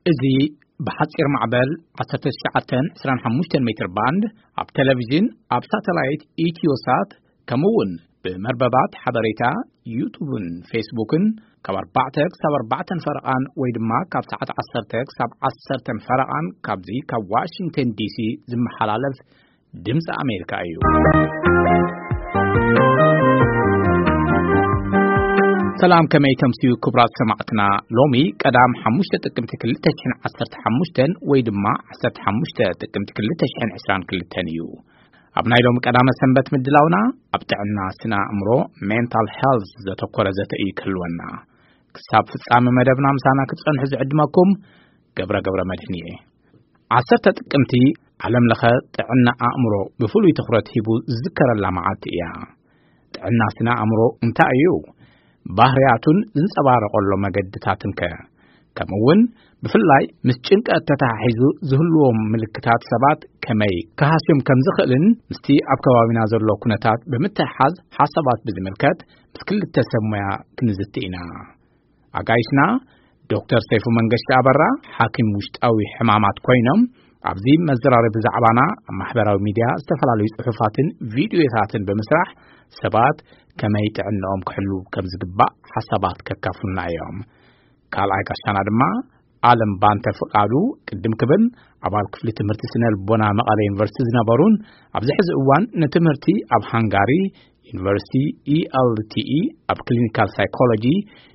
እዚ ብሓጺር ማዕበል ዓሰርተ ትሽዓተ ዕስራን ሓሙሽተን ሜትር ባንድ፣ ኣብ ቴሌቪዥን፣ ኣብ ሳተላይት ኢትዮሳት፣ ከምኡ እውን ብመርበባት ሓበሬታ፣ ዩቱብን ፌስቡክን፣ ካብ ኣርባዕተ ክሳብ ኣርባዕተን ፈረቓን ወይ ድማ ካብ ሰዓት ዓሰርተ ክሳብ ዓሰርተን ፈረቓን፣ ካብዚ ካብ ዋሽንግተን ዲሲ ዝመሓላለፍ ድምፂ ኣሜሪካ እዩ። ሰላም፣ ከመይ ተምስዩ ክቡራት ሰማዕትና? ሎሚ ቀዳም ሓሙሽተ ጥቅምቲ ክልተ ሽሕን ዓሰርተ ሓሙሽተን ወይ ድማ ዓሰርተ ሓሙሽተ ጥቅምቲ ክልተ ሽሕን ዕስራን ክልተን እዩ። ኣብ ናይ ሎሚ ቀዳመ ሰንበት ምድላውና፣ ኣብ ጥዕና ስነ ኣእምሮ፣ ሜንታል ሄልዝ፣ ዘተኮረ ዘተ እዩ ክህልወና። ክሳብ ፍጻመ መደብና ምሳና ክትጸንሑ ዝዕድመኩም ገብረ ገብረ መድህን እየ። ዓሰርተ ጥቅምቲ ዓለም ለኸ ጥዕና ኣእምሮ ብፍሉይ ትኹረት ሂቡ ዝዝከረላ መዓልቲ እያ። ጥዕና ስነ ኣእምሮ እንታይ እዩ? ባህርያቱን ዝንጸባረቐሎ መገድታትን ከ? ከምኡ እውን ብፍላይ ምስ ጭንቀት ተተሓሒዙ ዝህልዎም ምልክታት ሰባት ከመይ ክሃስዮም ከም ዝኽእልን ምስቲ ኣብ ከባቢና ዘሎ ኩነታት ብምትሕሓዝ ሓሳባት ብዝምልከት ምስ ክልተ ሰብ ሞያ ክንዝቲ ኢና። ኣጋይሽና ዶክተር ሰይፉ መንገሻ ኣበራ፣ ሓኪም ውሽጣዊ ሕማማት ኮይኖም፣ ኣብዚ መዘራረቢ ዛዕባና ኣብ ማሕበራዊ ሚድያ ዝተፈላለዩ ጽሑፋትን ቪድዮታትን ብምስራሕ ሰባት ከመይ ጥዕንኦም ክሕሉ ከም ዝግባእ ሓሳባት ከካፍሉና እዮም። ካልኣይ ጋሻና ድማ ኣለም ባንተ ፍቃዱ፣ ቅድም ክብል ኣባል ክፍሊ ትምህርቲ ስነ ልቦና መቐለ ዩኒቨርሲቲ ዝነበሩን ኣብዚ ሕዚ እዋን ንትምህርቲ ኣብ ሃንጋሪ ዩኒቨርሲቲ ኢ ኤል ቲ ኢ ኣብ ክሊኒካል ሳይኮሎጂ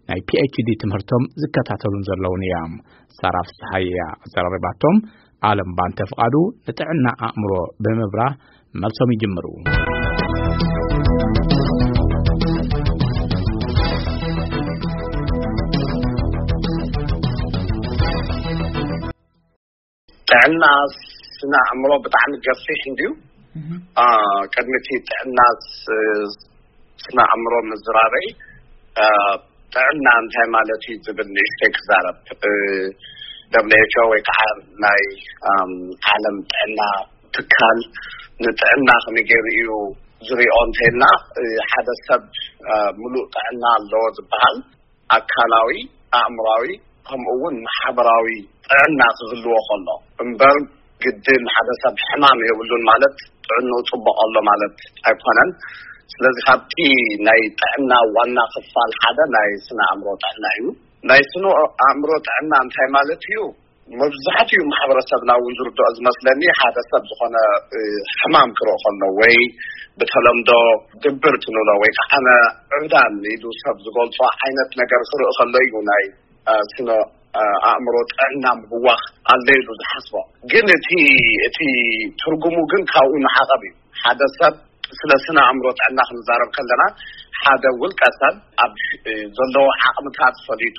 ናይ ፒ ኤች ዲ ትምህርቶም ዝከታተሉን ዘለውን እዮም። ሳራ ፍስሃየ እያ ኣዘራሪባቶም። ኣለም ባንተ ፍቃዱ ንጥዕና ኣእምሮ ብምብራህ መልሶም ይጅምሩ። ጥዕና ስነ ኣእምሮ ብጣዕሚ ገፊሕ እንድዩ። አ፣ ቅድሚ እቲ ጥዕና ስ-፣ ስነ ኣእምሮ ምዝራበይ፣ አ፣ ጥዕና እንታይ ማለት እዩ ዝብል ንእሽተይ ክዛረብ። እ፣ ደብሊው ኤች ኦ ወይ ከዓ ናይ፣ ኣም፣ ዓለም ጥዕና ትካል ንጥዕና ከመይ ገይሩ እዩ ዝሪኦ እንተኢልና፣ እ፣ ሓደ ሰብ፣ አ፣ ሙሉእ ጥዕና ኣለዎ ዝበሃል ኣካላዊ፣ ኣእምራዊ፣ ከምኡ እውን ማሕበራዊ ጥዕና ክህልዎ ከሎ እምበር፣ ግድን ሓደ ሰብ ሕማም የብሉን ማለት ጥዕንኡ ጽቡቕ ኣሎ ማለት ኣይኮነን። ስለዚ ካብቲ ናይ ጥዕና ዋና ክፋል ሓደ ናይ ስነ ኣእምሮ ጥዕና እዩ። ናይ ስነ ኣእምሮ ጥዕና እንታይ ማለት እዩ? መብዛሕትኡ ማሕበረሰብና እውን ዝርድኦ ዝመስለኒ፣ ሓደ ሰብ ዝኾነ፣ እ፣ ሕማም ክርኢ ከሎ ወይ ብተለምዶ ድብርት ንብሎ ወይ ከዓ ዕብዳን ኢሉ ሰብ ዝገልጾ ዓይነት ነገር ክርኢ ከሎ እዩ ናይ፣ እ፣ ስነ፣ እ፣ ኣእምሮ ጥዕና ምብዋኽ ኣሎ ኢሉ ዝሓስቦ። ግን እቲ፣ እቲ ትርጉሙ ግን ካብኡ ንዓቐብ እዩ። ሓደ ሰብ ስለ ስነ ኣእምሮ ጥዕና ክንዛረብ ከለና፣ ሓደ ውልቀ ሰብ ኣብ፣ እ፣ ዘለዎ ዓቕምታት ፈሊጡ፣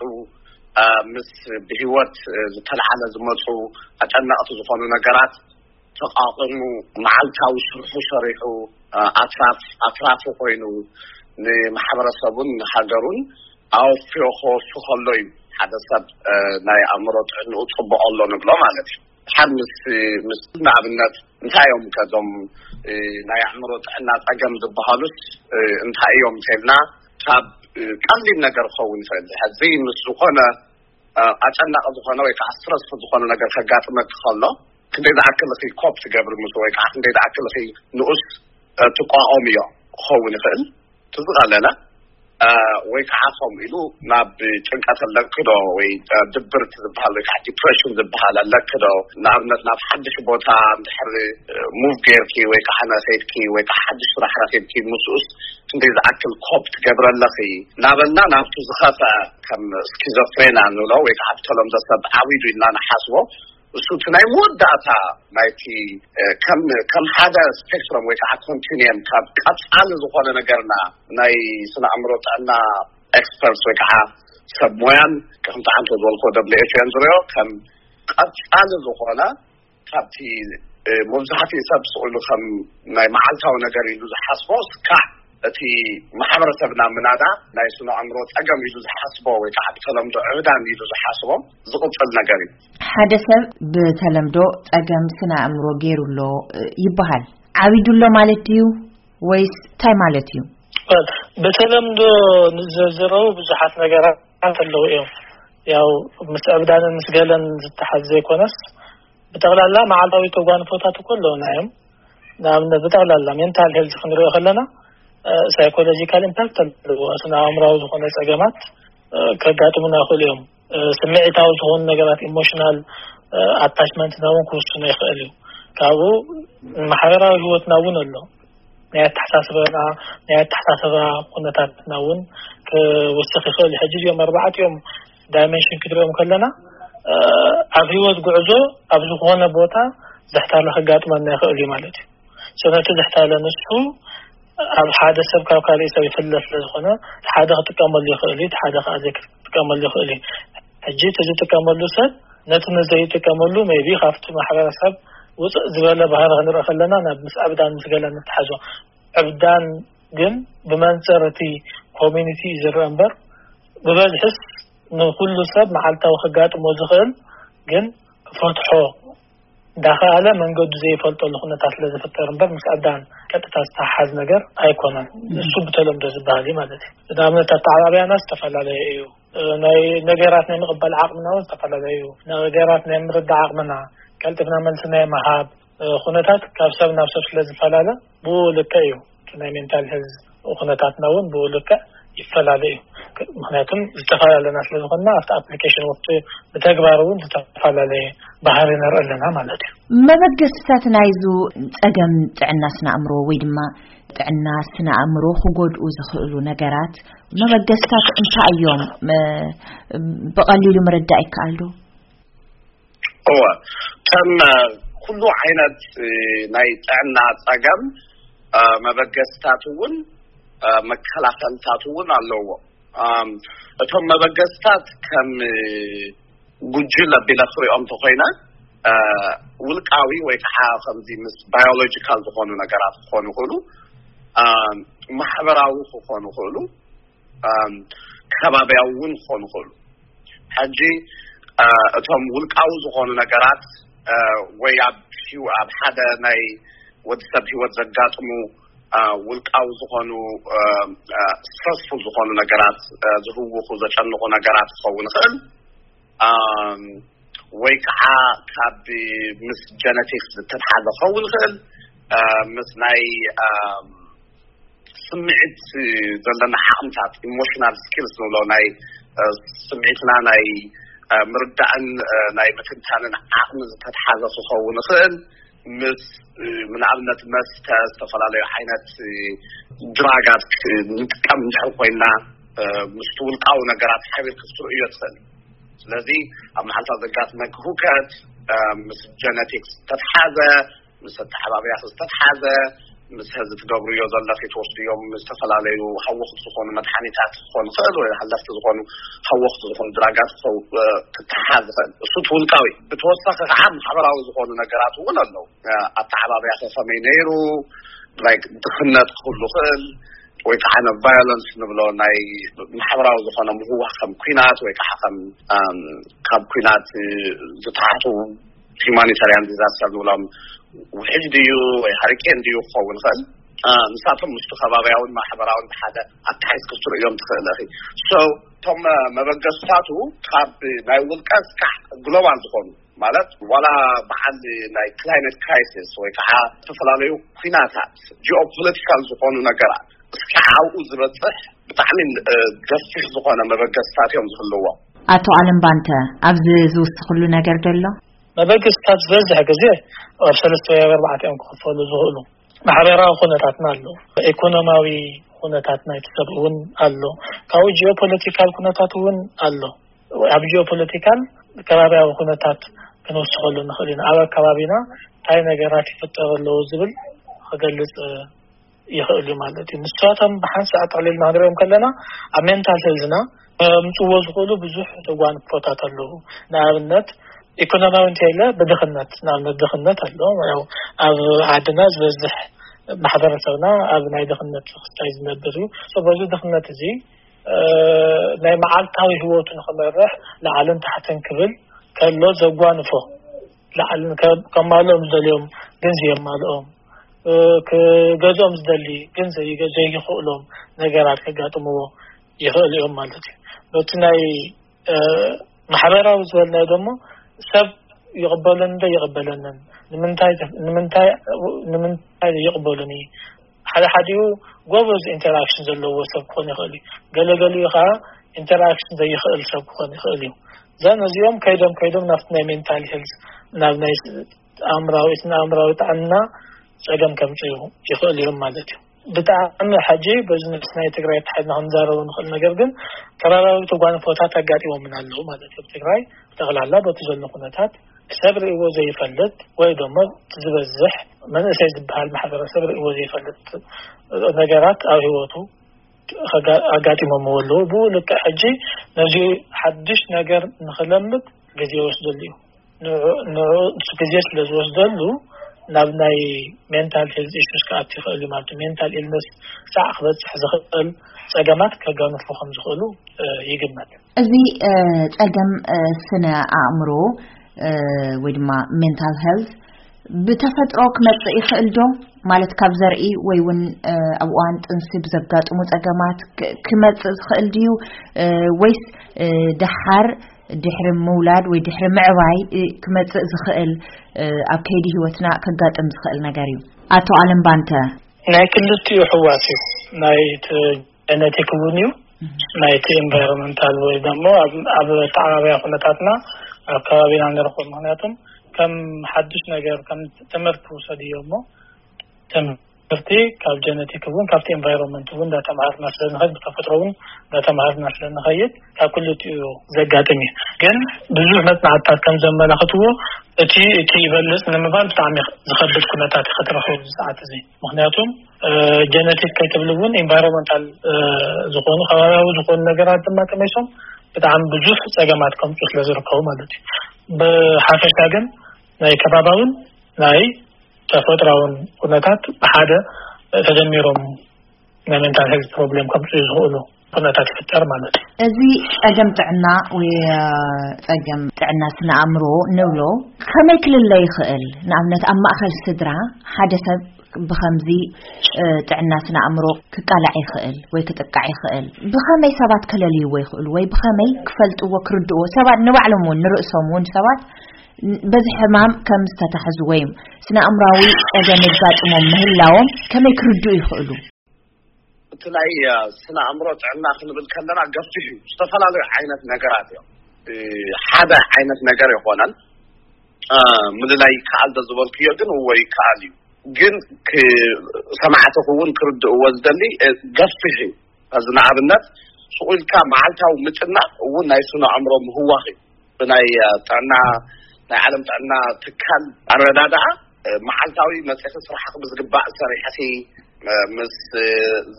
እ፣ ምስ ብህይወት፣ እ፣ ዝተለዓለ ዝመፁ ኣጨነቕቲ ዝኾኑ ነገራት ተቓቒሙ፣ መዓልታዊ ስርሑ ሰሪሑ፣ እ፣ ኣትራፍ-፣ ኣትራፊ ኮይኑ ንማሕበረሰቡን ንሃገሩን ኣወፍዮ ክወሱ ከሎ እዩ ሓደ ሰብ፣ እ፣ ናይ ኣእምሮ ጥዕንኡ ጽቡቕ ኣሎ ንብሎ ማለት እዩ። ሓድ ምስ፣ ምስ ንኣብነት እንታይ እዮም ከዞም፣ እ፣ ናይ ኣእምሮ ጥዕና ጸገም ዝበሃሉስ፣ እ፣ እንታይ እዮም እንተልና፣ ካብ፣ እ፣ ቀሊል ነገር ክኸውን ይኽእል። ሕዚ ምስ ዝኾነ፣ እ፣ ኣጨናቂ ዝኾነ ወይ ከዓ ስትረስፉል ዝኾነ ነገር ከጋጥመኪ ከሎ፣ ክንደይ ዝኣክል ኢኺ ኮፕ ትገብሪ ምስ፣ ወይ ከዓ ክንደይ ዝኣክል ኢኺ ንኡስ፣ እ፣ ትቋቋምዮ ክኸውን ይኽእል። እቲ ዝቐለለ፣ እ፣ ወይ ከዓ ከምኡ ኢሉ ናብ ጭንቀት ኣለክዶ ወይ፣ እ፣ ድብርት ዝበሃል ወይ ከዓ ዲፕሬሽን ዝበሃል ኣለክዶ? ንኣብነት ናብ ሓድሽ ቦታ እንድሕር፣ እ፣ ሙቭ ጌርኪ ወይ ከዓ ነኸይድኪ ወይ ከዓ ሓድሽ ስራሕ ረኺብኪ ምስኡስ ክንደይ ዝኣክል ኮፕ ትገብሪ ኣለኺ? እናበልና ናብቲ ዝኸፍአ ከም ስኪዞፍሬና ንብሎ ወይ ከዓ ብተለምዶ ሰብ ዓዊዱ ኢልና ንሓስቦ እሱ እቲ ናይ መወዳእታ ናይቲ፣ እ፣ ከም፣ ከም ሓደ ስፔክትረም ወይ ከዓ ኮንቲኒየም ካብ ቀጻሊ ዝኾነ ነገርና ናይ ስነ ኣእምሮ ጥዕና ኤክስፐርትስ ወይ ከዓ ሰብ ሞያን ከምቲ ዓንቶ ዝበልኮ ደብሊው ኤች ኦን ዝሪኦ ከም ቀጻሊ ዝኾነ ካብቲ፣ እ፣ መብዛሕትኡ ሰብ ስቕ ኢሉ ከም ናይ መዓልታዊ ነገር ኢሉ ዝሓስቦ ስካዕ እቲ ማሕበረሰብና ምናዳ ናይ ስነ ኣእምሮ ጸገም ኢሉ ዝሓስቦ ወይ ከዓ ብተለምዶ ዕብዳን ኢሉ ዝሓስቦ ዝቕጽል ነገር እዩ። ሓደ ሰብ ብተለምዶ ጸገም ስነ ኣእምሮ ገይሩ ኣሎ፣ እ፣ ይበሃል። ዓቢዱ ኣሎ ማለት ድዩ ወይስ እንታይ ማለት እዩ? በተለምዶ ንዘርዝረው ብዙሓት ነገራት ኣለዉ እዮም። ያው ምስ ዕብዳንን ምስ ገለን ዝተሓዝ ዘይኮነስ፣ ብጠቕላላ መዓልታዊ ተጓንፎታት እኮ ኣለውና እዮም። ንኣብነት ብጠቕላላ ሜንታል ሄልዝ ክንሪኦ ከለና፣ ሳይኮሎጂካል ኢምፓክት ኣለዎ። ስነ ኣእምራዊ ዝኾነ ጸገማት ከጋጥሙና ይኽእሉ እዮም። ስምዒታዊ ዝኾኑ ነገራት፣ ኢሞሽናል ኣታችመንትና እውን ክውስኖ ይኽእል እዩ። ካብኡ ማሕበራዊ ህይወትና እውን ኣሎ። ናይ ኣተሓሳስባና፣ ናይ ኣተሓሳስባ ኩነታትና እውን ክውስኽ ይኽእል። ሕጂ እዚኦም ኣርባዕቲኦም ዳይሜንሽን ክትሪኦም ከለና፣ ኣብ ህይወት ጉዕዞ ኣብ ዝኾነ ቦታ ዘሕታለ ከጋጥመና ይኽእል እዩ ማለት እዩ። ነቲ ዘሕታለ ንሱ ኣብ ሓደ ሰብ ካብ ካልእ ሰብ ይፍለ ስለ ዝኾነ፣ ሓደ ክጥቀመሉ ይኽእል እዩ፣ ሓደ ከዓ ዘይክጥቀመሉ ይኽእል እዩ። ሕጂ እቲ ዝጥቀመሉ ሰብ ነቲ ንዘይጥቀመሉ ሜቢ ካብቲ ማሕበረሰብ ውፅእ ዝበለ ባህሪ ክንርኢ ከለና ናብ ምስ ዕብዳን ምስ ገለን ንተሓዞ። ዕብዳን ግን ብመንፅር እቲ ኮሚኒቲ እዩ ዝረአ እምበር፣ ብበዝሕስ ንኩሉ ሰብ መዓልታዊ ከጋጥሞ ዝኽእል ግን ክፈትሖ እንዳኸኣለ መንገዱ ዘይፈልጠሉ ኩነታት ስለ ዝፍጠር እምበር፣ ምስ ዕብዳን ቀጥታ ዝተሓሓዝ ነገር ኣይኮነን። እሱ ብተለምዶ ዝበሃል እዩ ማለት እዩ። ንኣብነት ኣተዓባብያና ዝተፈላለየ እዩ። ናይ ነገራት ናይ ምቕባል ዓቕምና እውን ዝተፈላለየ እዩ። ነገራት ናይ ምርዳእ ዓቕምና፣ ቀልጥፍና መልሲ ናይ ምሃብ ኩነታት ካብ ሰብ ናብ ሰብ ስለ ዝፈላለ፣ ብኡ ልክዕ እዩ። እቲ ናይ ሜንታል ሄልዝ ኩነታትና እውን ብኡ ልክዕ ይፈላለ እዩ። ምክንያቱም ዝተፈላለና ስለ ዝኾንና፣ ኣብቲ ኣፕሊኬሽን ወቅቲ ብተግባር እውን ዝተፈላለየ ባህሪ ንርኢ ኣለና ማለት እዩ። መበገስታት ናይዙ ጸገም ጥዕና ስነ ኣእምሮ ወይ ድማ ጥዕና ስነ ኣእምሮ ክጎድኡ ዝኽእሉ ነገራት መበገስታት እንታይ እዮም? መ-፣ ብቐሊሉ ምርዳእ ይከኣል ዶ? እወ፣ ከም ኩሉ ዓይነት ናይ ጥዕና ጸገም፣ መበገስታት እውን መከላኸልታት እውን ኣለዎ። እቶም መበገስታት ከም ጉጅለ ኣቢለ ክሪኦም እንተኾይነ፣ ውልቃዊ ወይ ከዓ ከምዚ ምስ ባዮሎጂካል ዝኾኑ ነገራት ክኾኑ ይኽእሉ፣ ማሕበራዊ ክኾኑ ይኽእሉ፣ ከባቢያዊ እውን ክኾኑ ይኽእሉ። ሕጂ እቶም ውልቃዊ ዝኾኑ ነገራት ወይ ኣብ ኣብ ሓደ ናይ ወዲ ሰብ ህይወት ዘጋጥሙ ውልቃዊ ዝኾኑ ስትረስፉል ዝኾኑ ነገራት፣ ዝህውኹ ዘጨንቑ ነገራት ክኸውን ይኽእል፣ ወይ ከዓ ካብ ምስ ጀነቲክስ ዝተትሓዘ ክኸውን ይኽእል፣ ምስ ናይ ስምዒት ዘለና ዓቕምታት፣ ኢሞሽናል ስኪልስ ንብሎ፣ ናይ ስምዒትና ናይ ምርዳእን ናይ ምትንታንን ዓቕሚ ዝተትሓዘ ክኸውን ይኽእል። ምስ ንኣብነት መስተ፣ ዝተፈላለዩ ዓይነት ድራጋት ንጥቀም እንድሕር ኮይና፣ ምስቲ ውልቃዊ ነገራት ሓቢር ክትርእዮ ትኽእል። ስለዚ ኣብ መዓልታ ዘጋጥመኪ ሁከት ምስ ጀነቲክስ ዝተትሓዘ፣ ምስ ኣተሓባብያኺ ዝተትሓዘ፣ ምስ ሕዚ ትገብርዮ ዘለኺ ትወስድዮም ዝተፈላለዩ ሃወኽቲ ዝኾኑ መድሓኒታት ክኾኑ ይኽእል፣ ወይ ሃለኽቲ ዝኾኑ ሃወኽቲ ዝኾኑ ድራጋት ክተሓዝ ይኽእል። እሱ እቲ ውልቃዊ። ብተወሳኺ ከዓ ማሕበራዊ ዝኾኑ ነገራት እውን ኣለዉ። ኣተሓባብያኺ ከመይ ነይሩ፣ ላይክ ድኽነት ክህሉ ይኽእል፣ ወይ ከዓ ነ ቫዮለንስ ንብሎ ናይ ማሕበራዊ ዝኾነ ምህዋኽ ከም ኲናት ወይ ከዓ ከም ካብ ኲናት ዝተሓቱ ሂማኒታርያን ዲዛስተር ንብሎም ውሕጅ ድዩ ወይ ሃሪኬን ድዩ ክኸውን ይኽእል። ንሳቶም ምስቲ ከባብያውን ማሕበራውን ብሓደ ኣተሓሒዝኪ ክትርእዮም ትኽእል ኢኺ። ሶ እቶም መበገስታቱ ካብ ናይ ውልቀ እስካዕ ግሎባል ዝኾኑ ማለት ዋላ በዓል ናይ ክላይመት ክራይሲስ ወይ ከዓ ዝተፈላለዩ ኲናታት ጂኦፖለቲካል ዝኾኑ ነገራት እስካዕ ኣብኡ ዝበፅሕ ብጣዕሚ ገፊሕ ዝኾነ መበገስታት እዮም ዝህልዎም። ኣቶ ኣለም ባንተ ኣብዚ ዝውስኽሉ ነገር ዘሎ? መበገስታት ዝበዝሕ ግዜ ኣብ ሰለስተ ወይ ኣብ ኣርባዕተ እዮም ክኽፈሉ ዝኽእሉ። ማሕበራዊ ኩነታትና ኣሎ፣ ኢኮኖሚያዊ ኩነታት ናይቲ ሰብ እውን ኣሎ፣ ካብኡ ጂኦፖለቲካል ኩነታት እውን ኣሎ። ኣብ ጂኦፖለቲካል ከባቢያዊ ኩነታት ክንውስኸሉ ንኽእል ኢና። ኣብ ኣከባቢና እንታይ ነገራት ይፍጠሩ ኣለዉ ዝብል ክገልጽ ይኽእል እዩ ማለት እዩ። ንሳቶም ብሓንሳእ ጠቕሊልና ክንሪኦም ከለና ኣብ ሜንታል ሄልዝና ከምፅዎ ዝኽእሉ ብዙሕ ተጓንፎታት ኣለዉ። ንኣብነት ኢኮኖሚያዊ እንተኢለ ብድኽነት፣ ንኣብነት ድኽነት ኣሎ። ያው ኣብ ዓድና ዝበዝሕ ማሕበረሰብና ኣብ ናይ ድኽነት ክስታይ ዝነብር እዩ። በዚ ድኽነት እዚ ናይ መዓልታዊ ህይወቱ ንክመርሕ ላዕልን ታሕትን ክብል ከሎ ዘጓንፎ፣ ላዕልን ከማልኦም ዝደልዮም ግን ዘየማልኦም፣ ክገዝኦም ዝደሊ ግን ዘይክእሎም ነገራት ከጋጥምዎ ይኽእል እዮም ማለት እዩ። በቲ ናይ ማሕበራዊ ዝበልናዮ ደሞ ሰብ ይቕበለኒ ዶ ይቕበለንን፣ ንምንታይ ንምንታይ ንምንታይ ይቕበሉኒ? ሓደ ሓዲኡ ጎበዝ ኢንተራክሽን ዘለዎ ሰብ ክኾን ይኽእል እዩ። ገለገሊኡ ከዓ ኢንተራክሽን ዘይኽእል ሰብ ክኾን ይኽእል እዩ። ዘን እዚኦም ከይዶም ከይዶም ናብቲ ናይ ሜንታል ሄልዝ፣ ናብ ናይ ኣእምራዊ ስነ ኣእምራዊ ጥዕና ጸገም ከምጽኡ ይኽእል እዮም ማለት እዩ። ብጣዕሚ ሕጂ በዚ ምስ ናይ ትግራይ ተሓዝና ክንዛረቡ ንኽእል። ነገር ግን ከባቢያዊ ተጓንፎታት ኣጋጢሞምን ኣለዉ ማለት እዩ። ኣብ ትግራይ ጠቕላላ በቲ ዘሎ ኩነታት ሰብ ርእይዎ ዘይፈልጥ ወይ ደሞ እቲ ዝበዝሕ መንእሰይ ዝበሃል ማሕበረሰብ ርእይዎ ዘይፈልጥ ነገራት ኣብ ህይወቱ ኣጋ- ኣጋጢሞምዎ ኣለዉ። ብኡ ልክዕ ሕጂ ነዚ ሓድሽ ነገር ንኽለምድ ግዜ ይወስደሉ እዩ። ንዑ- ንዑ- ንሱ ግዜ ስለ ዝወስደሉ ናብ ናይ ሜንታል ሄልዝ ኢሹስ ክኣቱ ይኽእል እዩ ማለት እዩ። ሜንታል ኢልነስ ሳዕ ክበፅሕ ዝኽእል ፀገማት ከጋንፉ ከም ዝኽእሉ ይግመት። እዚ ፀገም ስነ ኣእምሮ ወይ ድማ ሜንታል ሄልዝ ብተፈጥሮ ክመፅእ ይኽእል ዶ? ማለት ካብ ዘርኢ ወይ እውን ኣብ እዋን ጥንሲ ብዘጋጥሙ ፀገማት ክመፅእ ዝኽእል ድዩ? ወይስ ደሓር ድሕሪ ምውላድ ወይ ድሕሪ ምዕባይ ክመፅእ ዝኽእል ኣብ ከይዲ ህይወትና ከጋጥም ዝኽእል ነገር እዩ? ኣቶ ኣለም ባንተ። ናይ ክልቲኡ ሕዋስ እዩ። ናይ ጀነቲክ እውን እዩ፣ ናይቲ ኢንቫይሮንመንታል ወይ ደሞ ኣብ ተዓባብያ ኩነታትና ኣብ ከባቢና ንረኽቦ። ምክንያቱም ከም ሓድሽ ነገር ከም ትምህርቲ ውሰድዮ እሞ ትምህርቲ ካብ ጀነቲክ እውን ካብቲ ኢንቫይሮንመንት እውን እንዳተምሃርና ስለ ንኸይድ፣ ብተፈጥሮ እውን እንዳተምሃርና ስለ ንኸይድ ካብ ክልቲኡ ዘጋጥም እዩ። ግን ብዙሕ መፅናዕትታት ከም ዘመላኽትዎ እቲ እቲ ይበልፅ ንምባል ብጣዕሚ ዝኸብድ ኩነታት እዩ ክትረኽቡ ኣብዚ ሰዓት እዚ። ምክንያቱም ጀነቲክ ከይትብል እውን ኢንቫይሮንመንታል ዝኾኑ ከባቢያዊ ዝኾኑ ነገራት ድማ ተመይሶም ብጣዕሚ ብዙሕ ፀገማት ከምፁ ስለ ዝርከቡ ማለት እዩ። ብሓፈሻ ግን ናይ ከባባውን ናይ ተፈጥራውን ኩነታት ብሓደ ተደሚሮም ናይ ሜንታል ሄልት ፕሮብሌም ከምፅኡ ዝኽእሉ ኩነታት ይፍጠር ማለት እዩ። እዚ ፀገም ጥዕና ወይ ፀገም ጥዕና ስነ ኣእምሮ ንብሎ ከመይ ክልለ ይኽእል? ንኣብነት ኣብ ማእኸል ስድራ ሓደ ሰብ ብኸምዚ ጥዕና ስነ ኣእምሮ ክቃላዕ ይኽእል ወይ ክጥቃዕ ይኽእል። ብኸመይ ሰባት ከለልይዎ ይኽእሉ ወይ ብኸመይ ክፈልጥዎ ክርድዎ? ሰባት ንባዕሎም እውን ንርእሶም እውን ሰባት በዚ ሕማም ከም ዝተታሕዙ ወይ ስነ ኣእምራዊ ፀገም የጋጥሞም ምህላዎም ከመይ ክርድኡ ይኽእሉ? እቲ ናይ ስነ ኣእምሮ ጥዕና ክንብል ከለና ገፊሕ እዩ። ዝተፈላለዩ ዓይነት ነገራት እዮም። ሓደ ዓይነት ነገር ይኾነን ምልላይ ይከኣል ዶ ዝበልክዮ ግን እዎ ይከኣል እዩ። ግን ሰማዕቲ ክውን ክርድእዎ ዝደሊ ገፊሕ እዩ። እዚ ንኣብነት ስቑ ኢልካ መዓልታዊ ምጭናቕ እውን ናይ ስነ ኣእምሮ ምህዋኽ እዩ። ብናይ ጥዕና ናይ ዓለም ጥዕና ትካል ኣረዳድኣ መዓልታዊ መፅእኺ ስራሕኺ ብዝግባእ ሰሪሕኺ ምስ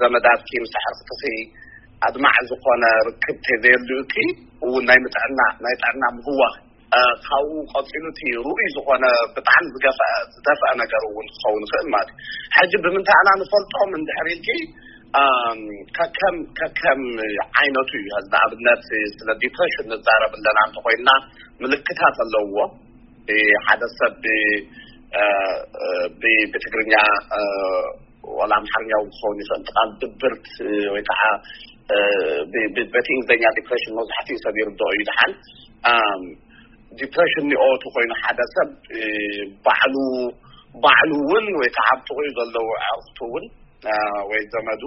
ዘመዳትኪ ምስ ኣሕርክትኺ ኣድማዕ ዝኾነ ርክብ ተዘየልዩኪ እውን ናይ ምጥዕና ናይ ጥዕና ምህዋኽ ካብኡ ቀፂሉ እቲ ርኡይ ዝኾነ ብጣዕሚ ዝገፍአ ዝደፍአ ነገር እውን ክኸውን ይኽእል ማለት እዩ። ሕጂ ብምንታይ ኢና ንፈልጦም እንድሕር ኢልኪ ከከም ከከም ዓይነቱ እዩ። ንኣብነት ስለ ዲፕሬሽን ንዛረብ ኣለና እንተኮይንና ምልክታት ኣለውዎ። ሓደ ሰብ ብትግርኛ ዋላ ኣምሓርኛ እውን ክኸውን ይኽእል ቃል ድብርት ወይ ከዓ በቲ እንግሊዝኛ ዲፕሬሽን መብዛሕትኡ ሰብ ይርድኦ እዩ። ድሓን ዲፕሬሽን ኒኦ ተኮይኑ ሓደ ሰብ ባዕሉ ባዕሉ እውን ወይ ከዓ ኣብ ጥቕኡ ዘለዉ ኣዕርክቱ እውን ወይ ዘመዱ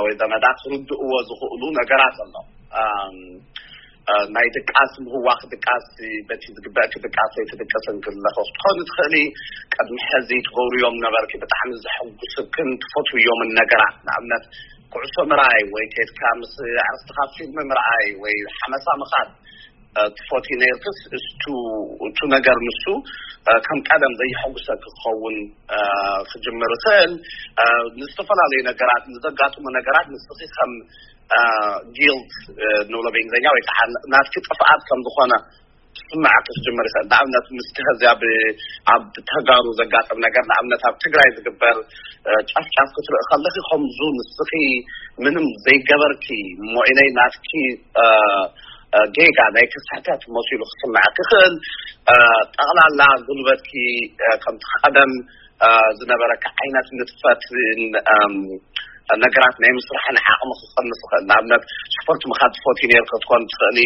ወይ ዘመዳ ክርድእዎ ዝኽእሉ ነገራት ኣሎ። ናይ ድቃስ ምህዋኽ ድቃስ በቲ ዝግበእኪ ድቃስ ኣይትድቅስን ክለኸ ክትኾኒ ትኽእሊ። ቅድሚ ሕዚ ትገብርዮም ነበርኪ ብጣዕሚ ዘሐጉስክን ትፈትውዮምን ነገራት ንኣብነት ኩዕሶ ምርኣይ ወይ ከድካ ምስ ዕርስትኻ ፊልም ምርኣይ ወይ ሓመሳ ምኻድ ትፈትዩ ነርክስ እቱ እቱ ነገር ንሱ ከም ቀደም ዘይሐጉሰ ክኸውን ክጅምር ይኽእል። ንዝተፈላለዩ ነገራት ንዘጋጥሙ ነገራት ንስኺ ከም ጊልት ንብሎ ብእንግሊዝኛ ወይ ከዓ ናትኪ ጥፍኣት ከም ዝኾነ ስምዓት ክጅምር ይኽእል። ንኣብነት ምስቲ ኸዚ ኣብ ኣብ ተጋሩ ዘጋጥም ነገር ንኣብነት ኣብ ትግራይ ዝግበር ጫፍጫፍ ክትርኢ ከለኺ ከምዙ ንስኺ ምንም ዘይገበርኪ እሞ ኢለይ ናትኪ ጌጋ ናይ ክስሕተት መሲሉ ክስምዐኪ ይኽእል። ጠቕላላ ጉልበትኪ ከምቲ ቀደም ዝነበረካ ዓይነት ንጥፈት ነገራት ናይ ምስራሕን ዓቕሚ ክቐንስ ይኽእል። ንኣብነት፣ ስፖርት ምኻድ ትፈትዊ ነይርኪ ክትኮን ትኽእሊ፣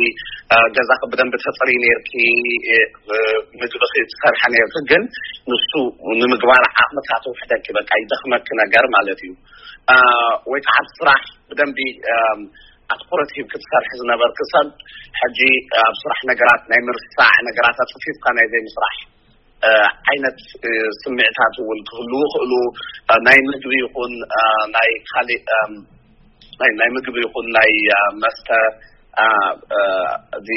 እ፣ ገዛኺ ብደንቢ ተጽርዪ ነይርኪ፣ እ፣ ምግብኺ ትሰርሒ ነይርኪ፣ ግን ንሱ ንምግባር ዓቕምታት ውሕደኪ፣ በቃ ይደኽመኪ ነገር ማለት እዩ። እ፣ ወይ ከዓ ኣብ ስራሕ ብደንቢ፣ እም፣ ኣትኩረት ሂብኪ ትሰርሒ ዝነበርኪ ሰብ፣ ሕጂ ኣብ ስራሕ ነገራት ናይ ምርሳዕ፣ ነገራት ኣጽፊፍካ ናይ ዘይምስራሕ፣ እ፣ ዓይነት፣ እ፣ ስምዒታት እውን ክህልዉ ይኽእሉ። እ፣ ናይ ምግቢ ይኹን፣ እ፣ ናይ ካሊእ፣ እም፣ ናይ፣ ናይ ምግቢ ይኹን ናይ፣ እ፣ መስተ፣ እ፣ እ፣ እዚ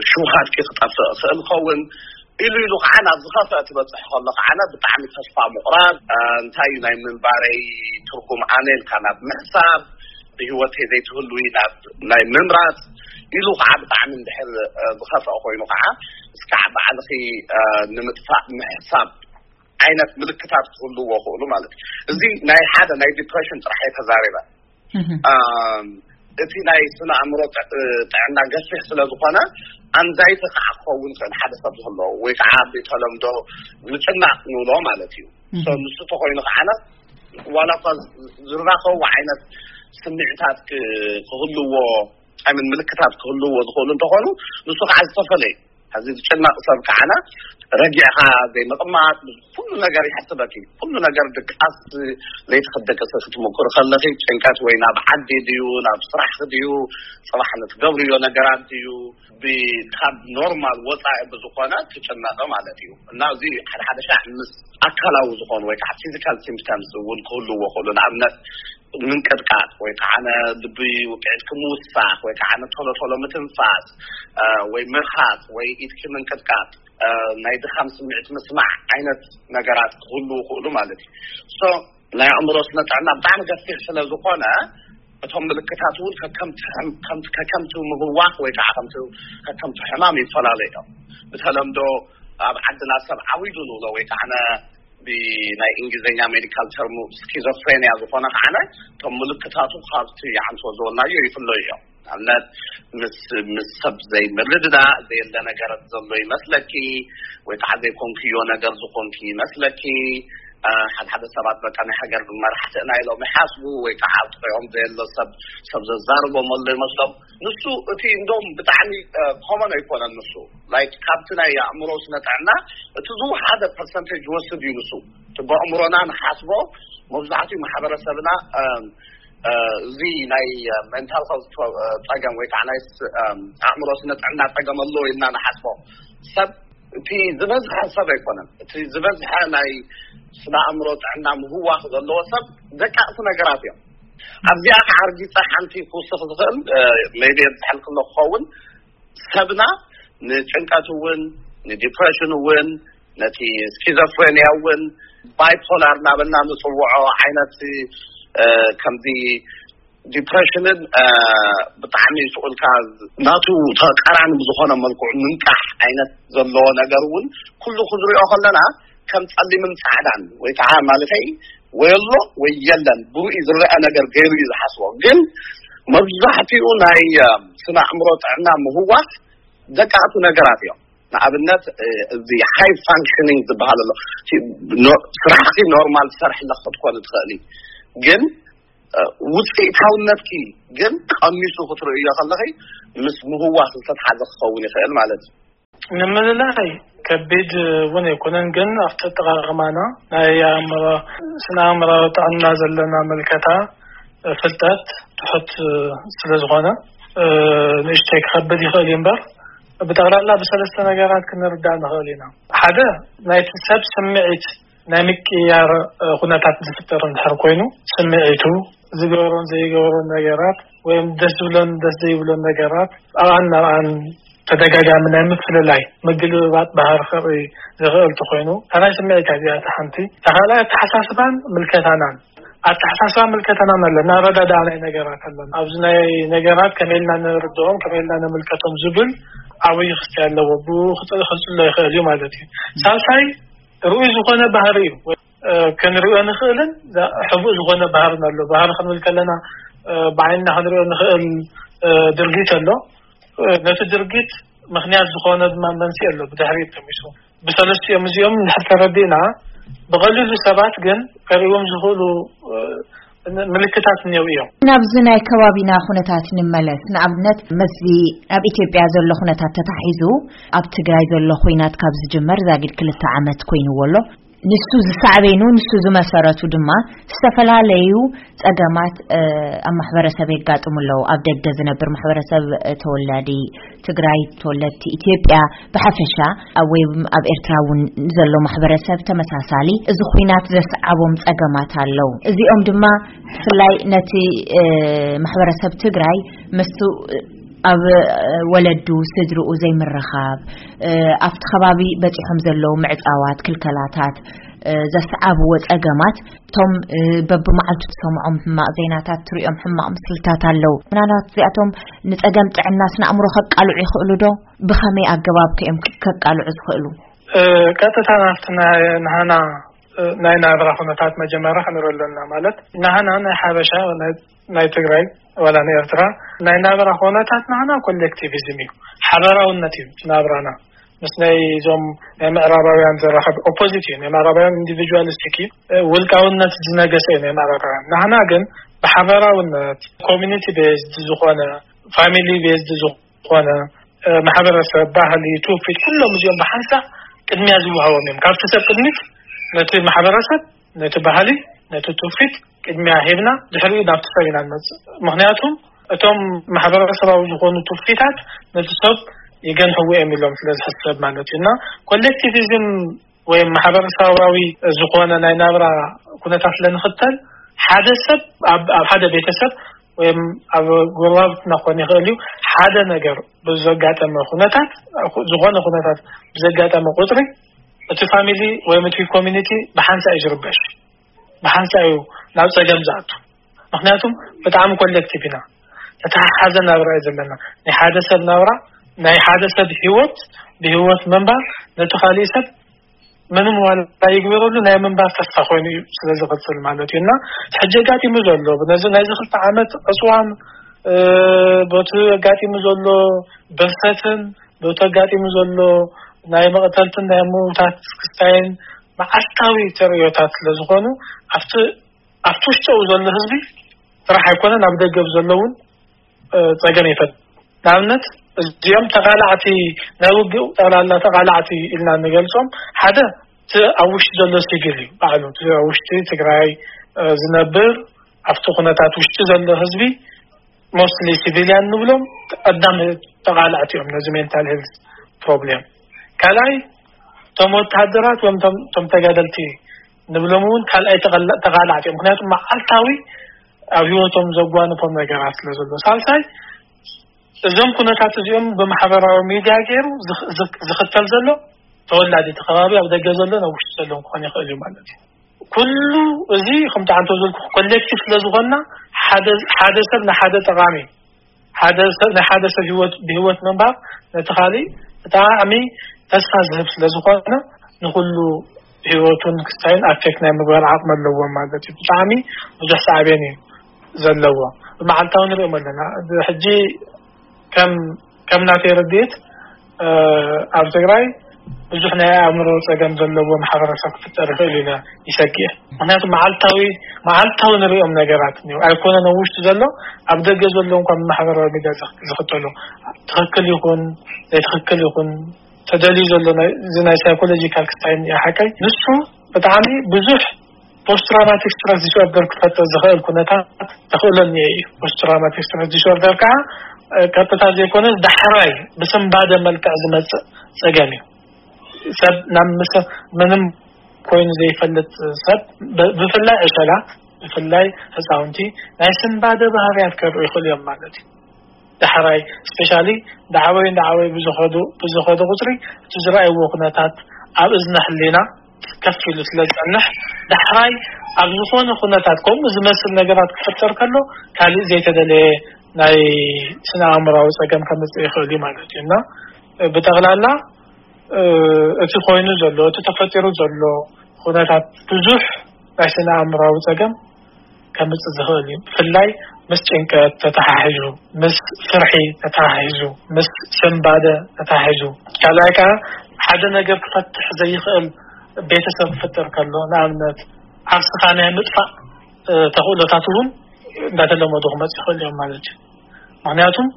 ሽውሃትኪ ክጠፍእ ይኽእል ይኸውን። ኢሉ ኢሉ ከዓ ናብ ዝኸፍአ ትበፅሕ ከሎ ከዓ ብጣዕሚ ተስፋ ምቑራፅ፣ እ፣ እንታይ እዩ ናይ ምንባረይ ትርጉም ኣነ ኢልካ ናብ ምሕሳብ፣ ብህይወተይ ዘይትህልዊ ናብ ናይ ምምራፅ ኢሉ ከዓ ብጣዕሚ እንድሕር፣ እ፣ ዝኸፍአ ኮይኑ ከዓ እስካዕ ባዕልኺ፣ እ፣ ንምጥፋእ ምሕሳብ ዓይነት ምልክታት ክህልዎ ይኽእሉ ማለት እዩ። እዚ ናይ ሓደ ናይ ዲፕሬሽን ጥራሕ እየ ተዛሪበ። እም፣ እቲ ናይ ስነ ኣእምሮ ጥ-፣ ጥዕና ገፊሕ ስለ ዝኾነ፣ ኣንዛይቲ ከዓ ክኸውን ይኽእል ሓደ ሰብ ዝህልዎ፣ ወይ ከዓ ብተለምዶ ምጭናቕ ንብሎ ማለት እዩ። እም። So፣ ንሱ ተኮይኑ ከዓነ ዋላ እኳ ዝራኸቡ ዓይነት ስምዒታት ክ-፣ ክህልዎ፣ ኣይምን ምልክታት ክህልዎ ዝኽእሉ እንተኾኑ፣ ንሱ ከዓ ዝተፈለየ። እዚ ዝጭነቕ ሰብ ከዓነ ረጊዕኻ ዘይምቕማጥ፣ ኩሉ ነገር ይሕስበኪ። ኩሉ ነገር ድቃስ፣ ለይቲ ክትደቅሲ ክትምኩሪ ከለኺ ጭንቀት ወይ ናብ ዓዲ ድዩ፣ ናብ ስራሕ ድዩ፣ ጽባሕ ንትገብርዮ ነገራት ድዩ፣ ብ-፣ ካብ ኖርማል ወጻኢ ብዝኾነ ትጭነቕ ማለት እዩ። እና እዚ ሓደ ሓደ ሻዕ ምስ ኣካላዊ ዝኾኑ ወይ ከዓ ፊዚካል ሲምፕተምስ እውን ክህልዎ ይኽእሉ። ንኣብነት ምንቅጥቃጥ ወይ ከዓ ነ-፣ ልቢ ውቅዒት ክምውሳኽ ወይ ከዓ ነ-፣ ቶሎ ቶሎ ምትንፋስ፣ እ፣ ወይ ምርሃጽ ወይ ኢድኪ ምንቅጥቃጥ፣ እ፣ ናይ ድኻም ስምዒት ምስማዕ ዓይነት ነገራት ክህልዉ ይኽእሉ ማለት እዩ። So፣ ናይ ኣእምሮ ስነ ጥዕና ብጣዕሚ ገፊሕ ስለ ዝኾነ፣ እቶም ምልክታት እውን ከከምቲ ሕም-፣ ከምቲ፣ ከከምቲ ምህዋኽ ወይ ከዓ ከምቲ፣ ከከምቲ ሕማም ይፈላለዩ እዮም። ብተለምዶ ኣብ ዓድና ሰብ ዓዊዱ ንብሎ ወይ ከዓ ነ-፣ ብናይ እንግሊዝኛ ሜዲካል ተርሙ ስኪዞፍሬንያ ዝኾነ ከዓነ፣ እቶም ምልክታቱ ካብቲ ዓንቶ ዝበልናዮ ይፍለዩ እዮም። ንኣብነት፣ ምስ፣ ምስ ሰብ ዘይምርድዳእ፣ ዘየለ ነገር ዘሎ ይመስለኪ፣ ወይ ከዓ ዘይኮንክዮ ነገር ዝኾንኪ ይመስለኪ። እ፣ ሓደ ሓደ ሰባት በቃ ናይ ሃገር መራሕቲ ኢና ኢሎም ይሓስቡ፣ ወይ ከዓ ኣብ ጥቕኦም ዘየሎ ሰብ፣ ሰብ ዘዛርቦም ኣሎ ይመስሎም። ንሱ እቲ እንደውም ብጣዕሚ፣ እ፣ ኮመን ኣይኮነን። ንሱ፣ ላይክ፣ ካብቲ ናይ ኣእምሮ ስነ ጥዕና እቲ ዝወሓደ ፐርሰንቴጅ ይወስድ እዩ። ንሱ እቲ ብኣእምሮና ንሓስቦ፣ መብዛሕትኡ ማሕበረሰብና፣ እም፣ እ፣ እዚ ናይ፣ እ፣ ሜንታል ሄልት ፕሮ-፣ እ፣ ጸገም ወይ ከዓ ናይ ስ-፣ እም፣ ኣእምሮ ስነ ጥዕና ጸገም ኣለዎ ኢልና ንሓስቦ ሰብ፣ እቲ ዝበዝሐ ሰብ ኣይኮነን። እቲ ዝበዝሐ ናይ ስነ ኣእምሮ ጥዕና ምህዋኽ ዘለዎ ሰብ ደቃቕቲ ነገራት እዮም። ኣብዚኣ ከዓ ኣርጊጸ ሓንቲ ክውስኽ ዝኽእል፣ እ፣ ሜይቢ የብዝሐልክሎ ክኸውን፣ ሰብና ንጭንቀት እውን፣ ንዲፕሬሽን እውን፣ ነቲ ስኪዞፍሬንያ እውን፣ ባይፖላር እናበልና ንጽውዖ ዓይነት፣ እ፣ ከምዚ ዲፕሬሽንን፣ እ፣ ብጣዕሚ ስቑልካ ናቱ ተቃራኒ ብዝኾነ መልክዑ ምንቃሕ ዓይነት ዘለዎ ነገር እውን ኩሉ ክንሪኦ ከለና ከም ጸሊምን ጻዕዳን ወይ ከዓ ማለተይ ወይ ኣሎ ወይ የለን ብሩኢ ዝረአ ነገር ገይሩ እዩ ዝሓስቦ። ግን መብዛሕትኡ ናይ፣ እ፣ ስነ ኣእምሮ ጥዕና ምህዋኽ ደቃቕቲ ነገራት እዮም። ንኣብነት፣ እ፣ እዚ ሃይ ፋንክሽኒንግ ዝበሃል ኣሎ። እቲ ኖ-፣ ስራሕኪ ኖርማል ትሰርሒ ኣለኺ ክትኮኒ ትኽእሊ፣ ግን፣ እ፣ ውፅኢታውነትኪ ግን ቀኒሱ ክትርእዮ ከለኺ ምስ ምህዋኽ ዝተትሓዘ ክኸውን ይኽእል ማለት እዩ። ንምልላይ ከቢድ እውን ኣይኮነን፣ ግን ኣብቲ ኣጠቓቕማና ናይ ኣእምሮ፣ ስነ ኣእምራዊ ጥዕና ዘለና ምልከታ፣ እ፣ ፍልጠት ትሑት፣ እ፣ ስለ ዝኾነ፣ እ፣ ንእሽተይ ክኸብድ ይኽእል እዩ እምበር፣ ብጠቕላላ ብሰለስተ ነገራት ክንርዳእ ንኽእል ኢና። ሓደ፣ ናይቲ ሰብ ስምዒት ናይ ምቅያር፣ እ፣ ኩነታት ዝፍጠር እንድሕር ኮይኑ፣ ስምዒቱ፣ ዝገብሮን ዘይገብሮን ነገራት፣ ወይም ደስ ዝብሎን ደስ ዘይብሎን ነገራት፣ ኣብኣን ናብኣን ተደጋጋሚ ናይ ምፍልላይ፣ ምግልብባጥ ባህሪ ከርኢ ዝኽእል እንተኾይኑ፣ እታ ናይ ስምዒት እዚኣ እታ ሓንቲ። እታ ካልኣይ ኣተሓሳስባን ምልከታናን። ኣተሓሳስባ ምልከታናን ኣለና፣ ኣረዳድኣ ናይ ነገራት ኣለና። ኣብዚ ናይ ነገራት ከመይ ኢልና ንርድኦም፣ ከመይ ኢልና ንምልከቶም ዝብል ዓብዪ ክስቲ ኣለዎ። ብኡ ክጽ-፣ ክጽሎ ይኽእል እዩ ማለት እዩ። ሳልሳይ፣ ርኡይ ዝኾነ ባህሪ እዩ። እ፣ ክንሪኦ ንኽእልን ዛ-፣ ሕቡእ ዝኾነ ባህርን ኣሎ። ባህሪ ክንብል ከለና፣ እ፣ ብዓይንና ክንሪኦ ንኽእል፣ እ፣ ድርጊት ኣሎ። እ፣ ነቲ ድርጊት ምኽንያት ዝኾነ ድማ መንስኤ ኣሎ፣ ብድሕሪት ተሚሱ። ብሰለስቲኦም እዚኦም እንድሕር ተረዲእና፣ ብቐሊሉ ሰባት ግን ከርእዎም ዝኽእሉ፣ እ፣ ምልክታት እኒአው እዮም። ናብዚ ናይ ከባቢና ኩነታት ንመለስ። ንኣብነት፣ መስዚ ኣብ ኢትዮጵያ ዘሎ ኩነታት ተታሒዙ፣ ኣብ ትግራይ ዘሎ ኩናት ካብ ዝጅመር ዛጊድ ክልተ ዓመት ኮይንዎ ኣሎ። ንሱ ዝሳዕቤኑ፣ ንሱ ዝመሰረቱ ድማ ዝተፈላለዩ ጸገማት ኣብ ማሕበረሰብ የጋጥሙ ኣለዉ። ኣብ ደገ ዝነብር ማሕበረሰብ፣ ተወላዲ ትግራይ፣ ተወለድቲ ኢትዮጵያ ብሓፈሻ፣ ኣብ ወይ ኣብ ኤርትራ እውን ዘሎ ማሕበረሰብ ተመሳሳሊ እዚ ኩናት ዘስዓቦም ጸገማት ኣለዉ። እዚኦም ድማ ብፍላይ ነቲ ማሕበረሰብ ትግራይ ምስቱ ኣብ ወለዱ፣ ስድርኡ ዘይምርኻብ፣ ኣብቲ ከባቢ በጺሖም ዘለዉ ምዕጻዋት፣ ክልከላታት ዘስዓብዎ ጸገማት፣ እቶም በብመዓልቱ ትሰምዖም ሕማቕ ዜናታት፣ ትሪኦም ሕማቕ ምስልታት ኣለዉ። ምናልባት እዚኣቶም ንጸገም ጥዕና ስነ ኣእምሮ ከቃልዑ ይኽእሉ ዶ? ብኸመይ ኣገባብ ከ እዮም ከቃልዑ ዝኽእሉ? ቀጥታ ናብቲ ናይ ናህና ናይ ናብራ ኩነታት መጀመርያ ክንርኢ ኣለና። ማለት፣ ናህና ናይ ሓበሻ፣ ናይ ትግራይ ዋላ ናይ ኤርትራ ናይ ናብራ ኩነታት ናህና ኮሌክቲቪዝም እዩ፣ ሓበራውነት እዩ ናብራና። ምስ ናይ እዞም ናይ ምዕራባውያን ዘራኸብ ኦፖዚት እዩ። ናይ ምዕራባውያን ኢንዲቪጁዋሊስቲክ እዩ፣ ውልቃውነት ዝነገሰ እዩ ናይ ምዕራባውያን። ናህና ግን ብሓበራውነት፣ ኮሚኒቲ ቤዝድ ዝኾነ፣ ፋሚሊ ቤዝድ ዝኾነ ማሕበረሰብ፣ ባህሊ፣ ትውፊት፣ ኩሎም እዚኦም ብሓንሳእ ቅድሚያ ዝወሃቦም እዮም። ካብቲ ሰብ ቅድሚት ነቲ ማሕበረሰብ፣ ነቲ ባህሊ፣ ነቲ ትውፊት ቅድሚያ ሂብና፣ ድሕሪኡ ናብቲ ሰብ ኢና ንመጽእ። ምኽንያቱም እቶም ማሕበረሰባዊ ዝኾኑ ትውፊታት ነቲ ሰብ ይገንሕዎ እዮም ኢሎም ስለ ዝሕሰብ ማለት እዩ። እና ኮሌክቲቪዝም ወይ ማሕበረሰባዊ ዝኾነ ናይ ናብራ ኩነታት ስለንኽተል፣ ሓደ ሰብ ኣብ፣ ኣብ ሓደ ቤተሰብ ወይ ኣብ ጎረባብትና ክኾን ይኽእል እዩ፣ ሓደ ነገር ብዘጋጠመ ኩነታት፣ ዝኾነ ኩነታት ብዘጋጠመ ቁፅሪ፣ እቲ ፋሚሊ ወይ እቲ ኮሚኒቲ ብሓንሳእ እዩ ዝርበሽ፣ ብሓንሳእ እዩ ናብ ፀገም ዝኣቱ። ምኽንያቱም ብጣዕሚ ኮሌክቲቭ ኢና፣ ተተሓሓዘ ናብራ እዩ ዘለና። ናይ ሓደ ሰብ ናብራ፣ ናይ ሓደ ሰብ ህይወት፣ ብህይወት ምንባር ነቲ ካሊእ ሰብ ምንም ዋላ ይግበረሉ ናይ ምንባር ተስፋ ኮይኑ እዩ ስለ ዝቕፅል ማለት እዩ። እና ሕጂ ኣጋጢሙ ዘሎ ነዚ ናይዚ ክልተ ዓመት ዕፅዋን፣ እ፣ በቲ ኣጋጢሙ ዘሎ ብርሰትን፣ በቲ ኣጋጢሙ ዘሎ ናይ መቕተልትን ናይ ምውታት ክስታይን መዓልታዊ ተርእዮታት ስለ ዝኾኑ፣ ኣብቲ፣ ኣብቲ ውሽጠኡ ዘሎ ህዝቢ ጥራሕ ኣይኮነን፣ ኣብ ደገ ዘለውን እ፣ ጸገም ይፈጥር። ንኣብነት፣ እዚኦም ተቓላዕቲ፣ ናይ ውግእ ጠቕላላ ተቓላዕቲ ኢልና እንገልጾም፣ ሓደ እቲ ኣብ ውሽጢ ዘሎ ሲቪል እዩ ባዕሉ። እቲ ኣብ ውሽጢ ትግራይ፣ እ፣ ዝነብር፣ ኣብቲ ኩነታት ውሽጢ ዘሎ ህዝቢ፣ ሞስትሊ ሲቪልያን ንብሎም፣ ቀዳም ተቓላዕቲ እዮም ነዚ ሜንታል ሄልዝ ፕሮብሌም። ካልኣይ፣ እቶም ወተሃደራት ወይም እቶም፣ እቶም ተጋደልቲ ንብሎም እውን ካልኣይ ተቐላ-፣ ተቓላዕቲ እዮም። ምኽንያቱ መዓልታዊ ኣብ ህይወቶም ዘጓንፎም ነገራት ስለ ዘሎ። ሳልሳይ፣ እዞም ኩነታት እዚኦም ብማሕበራዊ ሚድያ ገይሩ ዝኽ-፣ ዝኽ-፣ ዝኽተል ዘሎ ተወላዲ እቲ ከባቢ፣ ኣብ ደገ ዘሎ ናብ ውሽጢ ዘሎ ክኾን ይኽእል እዩ ማለት እዩ። ኩሉ እዚ ከምቲ ዓንቶ ዝብልኩ ኮሌክቲቭ ስለ ዝኾንና፣ ሓደ፣ ሓደ ሰብ ንሓደ ጠቓሚ፣ ሓደ ሰብ፣ ናይ ሓደ ሰብ ህይወት፣ ብህይወት ምንባር ነቲ ካሊእ ብጣዕሚ ተስፋ ዝህብ ስለ ዝኾነ፣ ንኹሉ ህይወቱን ክስታይን ኣፌክት ናይ ምግባር ዓቕሚ ኣለዎም ማለት እዩ። ብጣዕሚ ብዙሕ ሳዕቤን እዩ ዘለዎ። ብመዓልታዊ ንሪኦም ኣለና። ሕጂ ከም፣ ከም ናተይ ርድኢት፣ እ፣ ኣብ ትግራይ ብዙሕ ናይ ኣእምሮ ጸገም ዘለዎ ማሕበረሰብ ክፍጠር ይኽእል ኢለ ይሰግእ። ምኽንያቱ መዓልታዊ፣ መዓልታዊ ንሪኦም ነገራት እኒኦ። ኣይኮነን ኣብ ውሽጢ ዘሎ፣ ኣብ ደገ ዘሎ እንኳን ብማሕበራዊ ሚድያ ዝኽ-፣ ዝኽተሎ፣ ትኽክል ይኹን ዘይትኽክል ይኹን፣ ተደልዩ ዘሎ ናይ፣ እዚ ናይ ሳይኮሎጂካል ክስታይ እኒኦ ሓቀይ። ንሱ ብጣዕሚ ብዙሕ ፖስት ትራውማቲክ ስትረስ ዲስኦርደር ክፈጥር ዝኽእል ኩነታት ተኽእሎ እኒኦ እዩ። ፖስት ትራውማቲክ ስትረስ ዲስኦርደር ከዓ፣ እ፣ ቀጥታ ዘይኮነ ዳሕራይ ብስንባደ መልክዕ ዝመጽእ ጸገም እዩ። ሰብ ናብ ምስ-፣ ምንም ኮይኑ ዘይፈልጥ ሰብ፣ ብ-፣ ብፍላይ ዕሸላት፣ ብፍላይ ህፃውንቲ ናይ ስንባደ ባህርያት ከርእዩ ይኽእሉ እዮም ማለት እዩ። ዳሕራይ ስፔሻሊ እንዳዓበዩ እንዳዓበዩ ብዝኸዱ፣ ብዝኸዱ ቁፅሪ እቲ ዝረኣይዎ ኩነታት ኣብ እዝነ ህሊና ከፍ ኢሉ ስለ ዝፀንሕ፣ ዳሕራይ ኣብ ዝኾነ ኩነታት ከምኡ ዝመስል ነገራት ክፍጠር ከሎ፣ ካልእ ዘይተደለየ ናይ ስነ ኣእምራዊ ፀገም ከምፅእ ይኽእል እዩ ማለት እዩ። እና ብጠቕላላ፣ እ፣ እቲ ኮይኑ ዘሎ፣ እቲ ተፈጢሩ ዘሎ ኩነታት ብዙሕ ናይ ስነ ኣእምራዊ ፀገም ከምፅእ ዝኽእል እዩ። ብፍላይ ምስ ጭንቀት ተተሓሒዙ፣ ምስ ፍርሒ ተተሓሒዙ፣ ምስ ስንባደ ተተሓሒዙ። ካልኣይ ከዓ ሓደ ነገር ክፈትሕ ዘይኽእል ቤተሰብ ክፍጠር ከሎ፣ ንኣብነት ዓርስኻ ናይ ምጥፋእ እ፣ ተኽእሎታት እውን እንዳተለመዱ ክመጽእ ይኽእል እዮም ማለት እዩ። ምኽንያቱም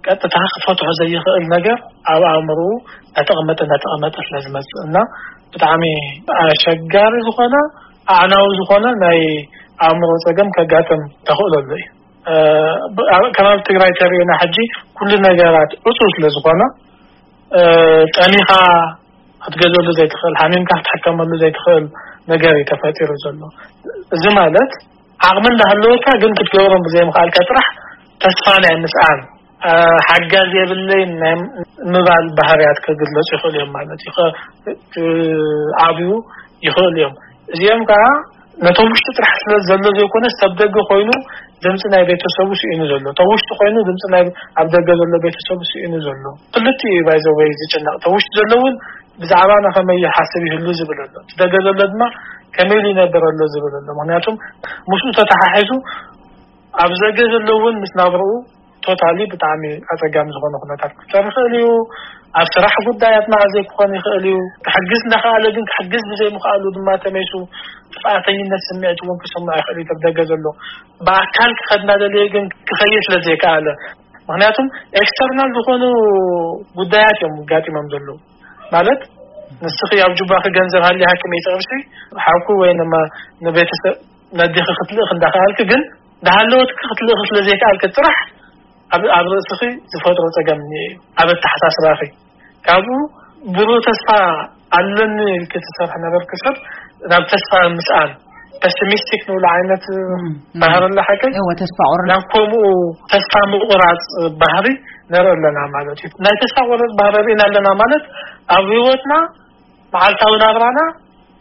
ቀጥታ ክፈትሖ ዘይኽእል ነገር ኣብ ኣእምሮኡ እንዳተቐመጠ እንዳተቐመጠ ስለ ዝመጽእ እና ብጣዕሚ ኣሸጋሪ ዝኾነ ኣዕናዊ ዝኾነ ናይ ኣእምሮ ጸገም ከጋጥም ተኽእሎ ኣሎ እዩ። እ፣ ብ-፣ ኣብ ከባቢ ትግራይ ተሪእና ሕጂ ኩሉ ነገራት ዕጹው ስለ ዝኾነ፣ እ፣ ጠሚኻ ክትገዘሉ ዘይትኽእል፣ ሓሚምካ ክትሕከመሉ ዘይትኽእል ነገር እዩ ተፈጢሩ ዘሎ። እዚ ማለት ዓቕሚ እንዳሃለወካ ግን ክትገብሮም ብዘይምኽኣልካ ጥራሕ ተስፋ ናይ ምስኣን፣ እ፣ ሓጋዝ የብለይን ናይ ምባል ባህርያት ክግለጹ ይኽእሉ እዮም ማለት እዩ። ከ-፣ ክዓብዩ ይኽእሉ እዮም። እዚኦም ከዓ ነቶም ውሽጢ ጥራሕ ስለ ዘሎ ዘይኮነስ፣ ሰብ ደገ ኮይኑ ድምፂ ናይ ቤተሰቡ ስኢኑ ዘሎ፣ እቶም ውሽጢ ኮይኑ ድምፂ ናይ ኣብ ደገ ዘሎ ቤተሰቡ ስኢኑ ዘሎ። ክልቲኡ እዩ ባይዘወይ ዝጭነቕ። እቶም ውሽጢ ዘሎ እውን ብዛዕባና ከመይ ይሓስብ ይህሉ ዝብል ኣሎ፣ እቲ ደገ ዘሎ ድማ ከመይ ኢሉ ይነብር ኣሎ ዝብል ኣሎ። ምኽንያቱም ምስኡ ተተሓሒዙ ኣብ ዘገ ዘሎ እውን ምስ ናብርኡ ቶታሊ ብጣዕሚ ኣፀጋሚ ዝኾነ ኩነታት ክፍጠር ይኽእል እዩ። ኣብ ስራሕ ጉዳያት መዓዘይ ክኾን ይኽእል እዩ። ክሕግዝ እንዳኸኣለ ግን ክሕግዝ ብዘይምኽኣሉ ድማ ተመይሱ ጥፍኣተኝነት ስምዒት እውን ክስምዖ ይኽእል እዩ። ኣብ ደገ ዘሎ ብኣካል ክኸድ እናደለየ ግን ክኸይድ ስለ ዘይከኣለ፣ ምኽንያቱም ኤክስተርናል ዝኾኑ ጉዳያት እዮም ጋጢሞም ዘለዉ። ማለት ንስኺ ኣብ ጁባኺ ገንዘብ ሃልያ ሃኪም ይጠቕምሲ ሓኩ ወይ ንመ-፣ ንቤተሰብ ነዲኺ ክትልእኽ እንዳኸኣልክ ግን እንዳሃለወትኪ ክትልእኺ ስለ ዘይከኣልክ ጥራሕ ኣብ፣ ኣብ ርእስኺ ዝፈጥሮ ጸገም እኒኦ እዩ። ኣብ ኣተሓሳስባኺ ካብኡ ብሩህ ተስፋ ኣለኒ ኢልኪ ትሰርሒ ነበርኪ ሰብ ናብ ተስፋ ምስኣን፣ ፐሲሚስቲክ ንብሎ ዓይነት እም፣ እም። ባህሪ ኣለ ሓቀይ? እወ፣ ተስፋ ቁርጥ። ናብ ከምኡ ተስፋ ምቑራጽ ባህሪ ንርኢ ኣለና ማለት እዩ። ናይ ተስፋ ቁርጥ ባህሪ ርኢና ኣለና ማለት ኣብ ህይወትና መዓልታዊ ናብራና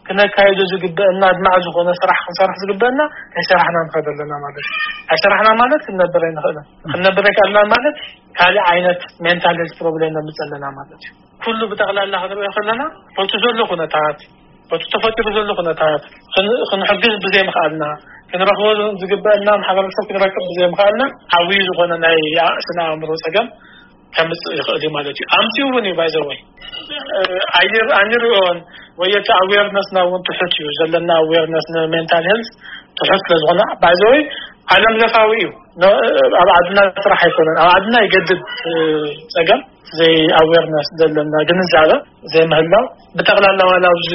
ክነካይዶ ዝግበአና ኣድማዕ ዝኾነ ስራሕ ክንሰርሕ ዝግበአና ኣይሰራሕና ንኸድ ኣለና ማለት እዩ። ኣይሰራሕና ማለት ክንነብር ኣይንኽእልን። ክንነብር ኣይከኣልና ማለት ካልእ ዓይነት ሜንታል ሄልት ፕሮብሌም ነምጽእ ኣለና ማለት እዩ። ኩሉ ብጠቕላላ ክንሪኦ ከለና በቲ ዘሎ ኩነታት፣ በቲ ተፈጢሩ ዘሎ ኩነታት ክን-፣ ክንሕግዝ ብዘይምኽኣልና፣ ክንረኽቦ ዝግበአና ማሕበረሰብ ክንረክብ ብዘይምኽኣልና ዓብዪ ዝኾነ ናይ ስነ ኣእምሮ ጸገም ከምጽእ ይኽእል እዩ ማለት እዩ። ኣምጺኡ እውን እዩ ባይዘወይ ኣይር-፣ ኣይንሪኦን ወይ እቲ ኣዌርነስና እውን ትሑት እዩ። ዘለና ኣዌርነስ ንሜንታል ሄልት ትሑት ስለ ዝኾነ ባይዘወይ ዓለም ለኻዊ እዩ። ነ-፣ ኣብ ዓድና ጥራሕ ኣይኮነን። ኣብ ዓድና ይገድድ፣ እ፣ ጸገም ዘይ ኣዌርነስ ዘለና ግንዛበ ዘይምህላው ብጠቕላላ ዋላ ኣብዚ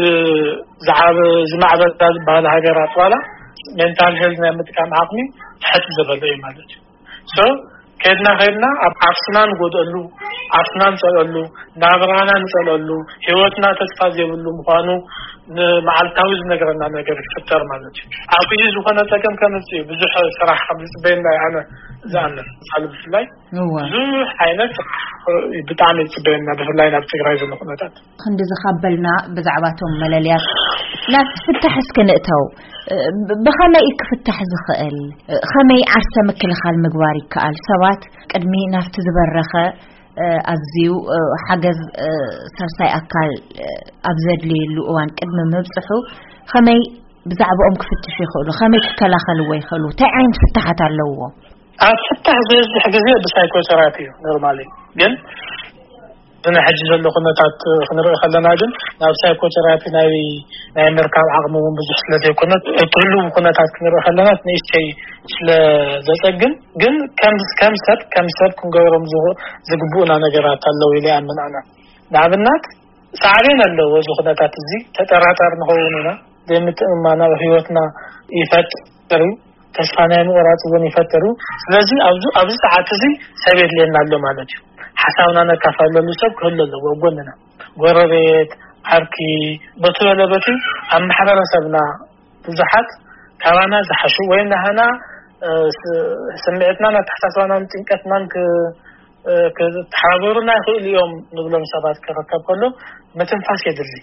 ዝዓበ ዝማዕበላ ዝበሃላ ሃገራት ዋላ ሜንታል ሄልት ናይ ምጥቃም ዓቕሚ ትሕት ዝበለ እዩ ማለት እዩ። ሶ ከድና ከድና ኣብ ዓርስና ንጎድኣሉ፣ ዓርስና ንጸልኣሉ፣ ናብራና ንጸልኣሉ፣ ህይወትና ተስፋ ዘይብሉ ምዃኑ ንመዓልታዊ ዝነገረና ነገር ይፍጠር ማለት እዩ። ዓብዪ ዝኾነ ጸገም ከምጽእ እዩ። ብዙሕ ስራሕ ከም ዝጽበየና እዩ ኣነ ዝኣምን። ሳል ብፍላይ እወ። ብዙሕ ዓይነት ስራሕ ብጣዕሚ ይጽበየና፣ ብፍላይ ናብ ትግራይ ዘሎ ኩነታት። ክንዲ ዝኻበልና ብዛዕባቶም መለልያት ናብቲ ፍታሕ እስኪ ንእተው። ብ-፣ ብኸመይ እዩ ክፍታሕ ዝኽእል? ከመይ ዓርሰ ምክልኻል ምግባር ይከኣል? ሰባት ቅድሚ ናብቲ ዝበረኸ፣ እ፣ ኣዝዩ፣ እ፣ ሓገዝ፣ እ፣ ሳልሳይ ኣካል፣ እ፣ ኣብ ዘድልየሉ እዋን ቅድሚ ምብጽሑ ከመይ ብዛዕባኦም ክፍትሹ ይኽእሉ? ከመይ ክከላኸልዎ ይኽእሉ? እንታይ ዓይነት ፍታሓት ኣለውዎ? ኣብ ፍታሕ ዝበዝሕ ግዜ ብሳይኮቴራፒ እዩ ኖርማሊ። ግን ብናይ ሕጂ ዘሎ ኩነታት ክንርኢ ከለና ግን ናብ ሳይኮቴራፒ ናይ፣ ናይ ምርካብ ዓቕሚ እውን ብዙሕ ስለ ዘይኮነ፣ እቲ ህሉው ኩነታት ክንርኢ ከለና ንእሽተይ ስለ ዘጸግም፣ ግን ከም፣ ከም ሰብ፣ ከም ሰብ ክንገብሮም ዝግ-፣ ዝግብኡና ነገራት ኣለዉ ኢለ ይኣምን ኣነ። ንኣብነት ሳዕቤን ኣለዎ እዚ ኩነታት እዚ፣ ተጠራጣሪ ንኸውን ኢና፣ ዘይምትእምማን ኣብ ህይወትና ይፈጥር እዩ። ተስፋ ናይ ምቑራጽ እውን ይፈጥር እዩ። ስለዚ ኣብዚ፣ ኣብዚ ሰዓት እዚ ሰብ የድልየና ኣሎ ማለት እዩ። ሓሳብና ነካፋለሉ ሰብ ክህሉ ኣለዎ ኣብ ጎንና። ጎረቤት፣ ዓርኪ፣ በቲ በለ በቲ ኣብ ማሕበረሰብና ብዙሓት ካባና ዝሓሹ ወይ ናህና፣ እ፣ ስ-፣ ስምዒትናን ኣተሓሳስባናን ጭንቀትናን ክ-፣ እ፣ ክተሓባበሩና ይኽእሉ እዮም ንብሎም ሰባት ክርከብ ከሎ ምትንፋስ የድሊ።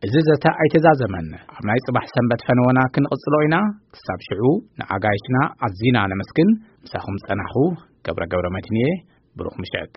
እዚ ዘተ ኣይተዛዘመን። ኣብ ናይ ጽባሕ ሰንበት ፈነወና ክንቕጽሎ ኢና። ክሳብ ሽዑ ንኣጋይሽና ኣዚና ነመስግን። ምሳኹም ጸናሕኹ ገብረ ገብረ መድህን እየ። ብሩኽ ምሸት።